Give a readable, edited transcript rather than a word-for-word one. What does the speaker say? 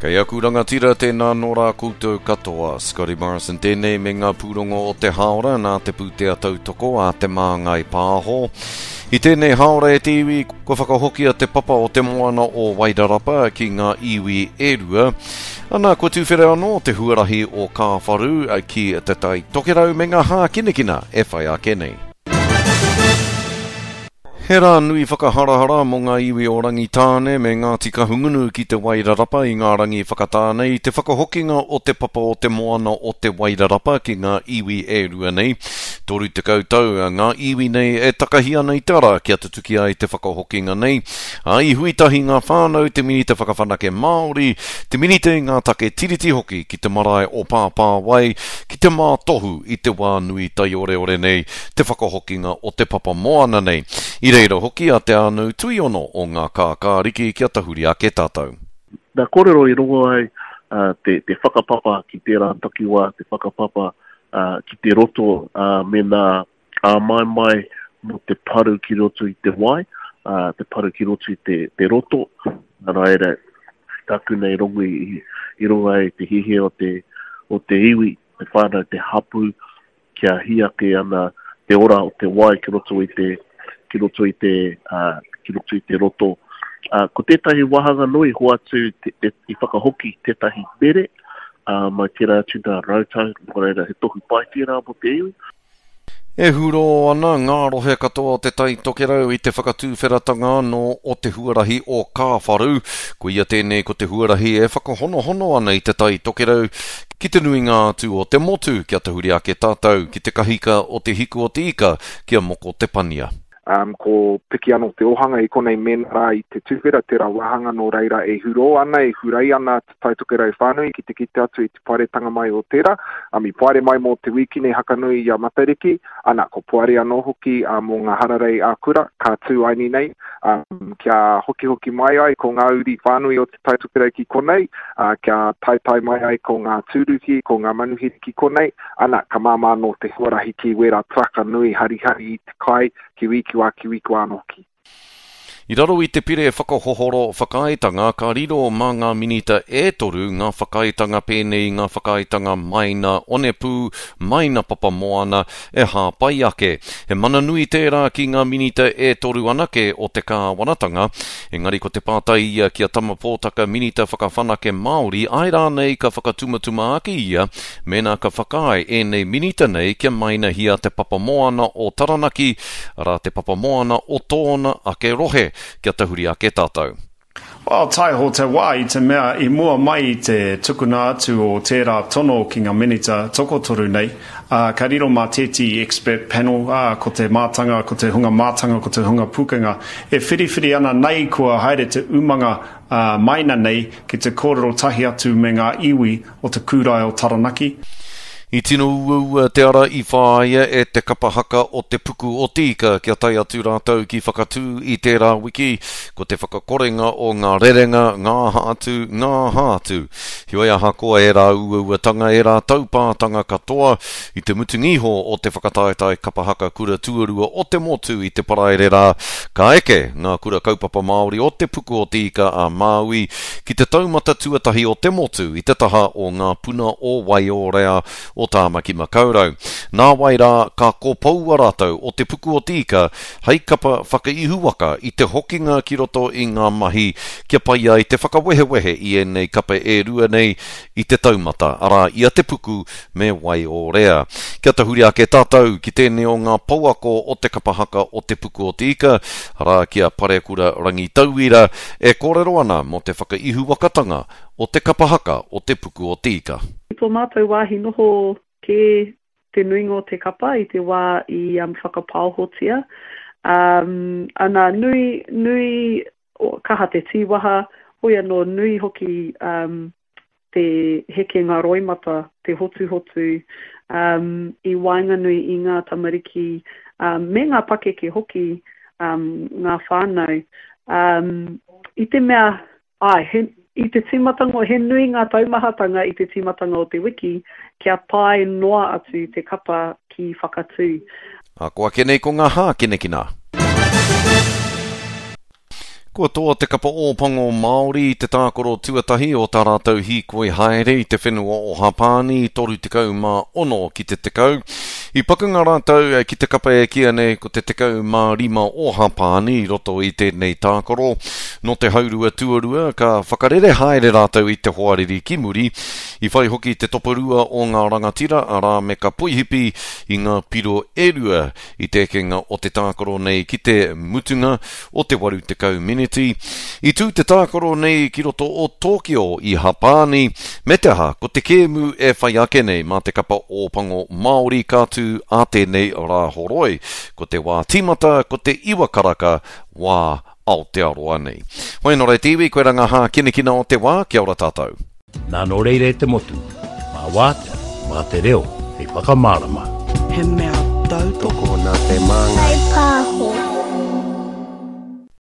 Kei aku rangatira, tēnā nō rā koutou katoa. Scotty Morrison tēnei me ngā pūrongo o te hāora nā te pūtea tautoko a Te Māngai Pāho. I tēnei hāora e te iwi, kua whakahokia te papa o te moana o Wairarapa ki ngā iwi e rua. Ana, kua tuwhera anō te huarahi o Kāwharu ki Te Tai Tokerau me ngā hākinakina e whai ake nei. He rā nui whakaharahara mō ngā iwi o Rangitāne me Ngāti Kahungunu ki Te Wairarapa i ngā rangi whakatāne i te whakahokinga o te papa o te moana o Te Wairarapa ki ngā iwi e rua nei. 30 tau ngā iwi nei e takahi ana i te ara kia tutuki ai te whakahokinga nei. Ā, i hui tahi ngā whānau, te Minita Whakawhanake Māori, te Minita i ngā take Tiriti hoki ki te marae o Pāpāwai ki te mātohu i te wā nui taioreore nei te whakahokinga o te papa moana nei. I reira hoki a Te Ānau Tuiono o Ngā Kākāriki kia tahuri ake tātou. Nā kōrero i rongo ai te whakapapa ki tērā takiwā, te whakapapa ki te roto me nā āmaimai mō te paru ki roto i te wai, te paru ki roto i te roto. Nā reira, tāku nei rongo i rongo ai te hiahia o te iwi, te whānau, te hapū, kia hī ake ana te ora o te wai ki roto i te, ki roto i te, uh, ki roto i te roto. Uh, ko tētahi wāhanga nui hoatu te, te, i whakahoki tētahi mere, uh, mai tērā atu nā rautau, nō reira he tohu pai tērā mō te iwi. E hurō ana ngā rohe katoa o Te Tai Tokerau i te whakatūwheratanga anō o te huarahi o Kāwharu. Koia tēnei ko te huarahi e whakahonohono ana i Te Tai Tokerau Ki te nuinga atu o te motu, kia tahuri ake tātou ki te kahika o te hiku o te ika, ki a Moko Te Pania. Um, ko piki anō te ōhanga i konei mēnā rā i te tuwhera tērā wāhanga nō reira e hurō ana, e hurei ana te Tai Tokerau whānui ki te kite atu i te paeretanga mai o tērā. Um, i paere mai mō te wīkine Hakanui i a Matariki, ana, ko poari anō hoki uh, mō ngā hararei ā-kura, ka tū aini nei, um, kia hokihoki mai ai ko ngā uri whānui o te Tai Tokerau ki konei, ā, kia taetae mai ai ko ngā tūruhi, ko ngā manuhiri ki konei, ana, ka māmā anō te huarahi ki wērā taraka nui harihari i te kai, ki wī, ki wā, ki wī, ki wā anō hoki. I raro i te Pire Whakahohoro Whakaaetanga ka riro mā ngā Minita e toru ngā whakaaetanga pēnei i ngā whakaaetanga maina onepū, maina papamoana e hāpai ake. He mana nui tērā ki ngā Minita e toru anake o te kāwanatanga, Engari ko te pātai ia ki a Tama Pōtaka Minita Whakawhanake Māori āe rānei ka whakatumatuma ake ia mēnā ka whakaae ēnei minita nei kia mainahia te papa moana o Taranaki, arā te papa moana o tōna ake rohe, kia tahuri ake tātou. Well, taiho te wā i te mea i mua mai i te tukuna atu o tērā tono ki ngā minita tokotoru nei, Ā, ka riro mā tētehi expert panel, ā, ko te mātanga, ko te hunga mātanga, ko te hunga pūkenga, e whiriwhiri ana nei kua haere te umanga, ā, maina nei ki te kōrero tahi atu me ngā iwi o te kūrae o Taranaki. I tino uaua te ara i whāia e te kapa haka o Te Puku o Te Ika kia tae atu rātou ki Whakatū i tērā wiki, ko te whakakorenga o ngā rerenga, ngā aha atu, ngā aha atu. Heoi ahakoa ērā uauatanga, ērā taupātanga katoa, i te mutunga iho o te whakataetae kapa haka kura tuarua o te motu i te Paraire rā, ka eke ngā kura kaupapa Māori o Te Puku o Te Ika a Māui ki te taumata tuatahi o te motu i te taha o Ngā Puna o Waiōrea o Tāmaki Makaurau. Nāwai rā, ka kopoua rātou o Te Puku o Te Ika hei kapa whakaihuwaka i te hokinga ki roto i ngā mahi kia pai ai te whakawehewehe i ēnei kape e rua nei i te taumata, arā, i a Te Puku me Waiōrea. Kia tahuri ake tātou ki tēnei o ngā pouako o te kapa haka o Te Puku o Te Ika, arā, ki a Parekura Rangitauira, e kōrero ana mō te whakaihuwakatanga o te kapa haka o Te Puku o Te Ika. I tō mātou wāhi noho kē te nuinga o te kapa i te wā i whakapaohotia. Um, ana, nui, nui, kaha te tīwaha, hoi anō nui hoki um, te hekenga roimata, te hotuhotu um, i waenganui i ngā tamariki um, me ngā pakeke hoki, um, ngā whānau. Um, I te mea Āe, he, i te tīmatanga, he nui ngā taumahatanga i te tīmatanga o te wiki kia tae noa atu te kapa ki Whakatū. Ako ake nei ko ngā hākinakina. Kua toa te kapa Ōpango Māori i te tākaro tuatahi o tā rātou hīkoi haere i te whenua o Hapāni 36 ki te 10. I pakanga rātou ki te kapa e kīia nei ko te 15 o Hapāni i roto i tēnei tākaro. Nō te haurua tuarua ka whakarere haere rātou i te hoariri ki muri. I whai hoki te toporua o ngā rangatira, arā me ka poihipi i ngā piro e rua i te ekenga o te tākaro nei ki te mutunga o te 80 meneti. I tū te tākaro nei ki roto o Tōkio i Hapāni, me te aha, ko te kēmu e whai ake nei mā te kapa Ōpango Māori ka tū ā tēnei Rāhoroi. Ko te wā tīmata ko te iwa karaka wā Aotearoa nei. Hoi anō rā e te iwi, koirā ngā hākinakina o te wā, kia ora tātou. Nā nō reira e te motu, mā wātea, mā te reo hei whakamārama. He mea tautoko. Tokona te māngai. Kai pā.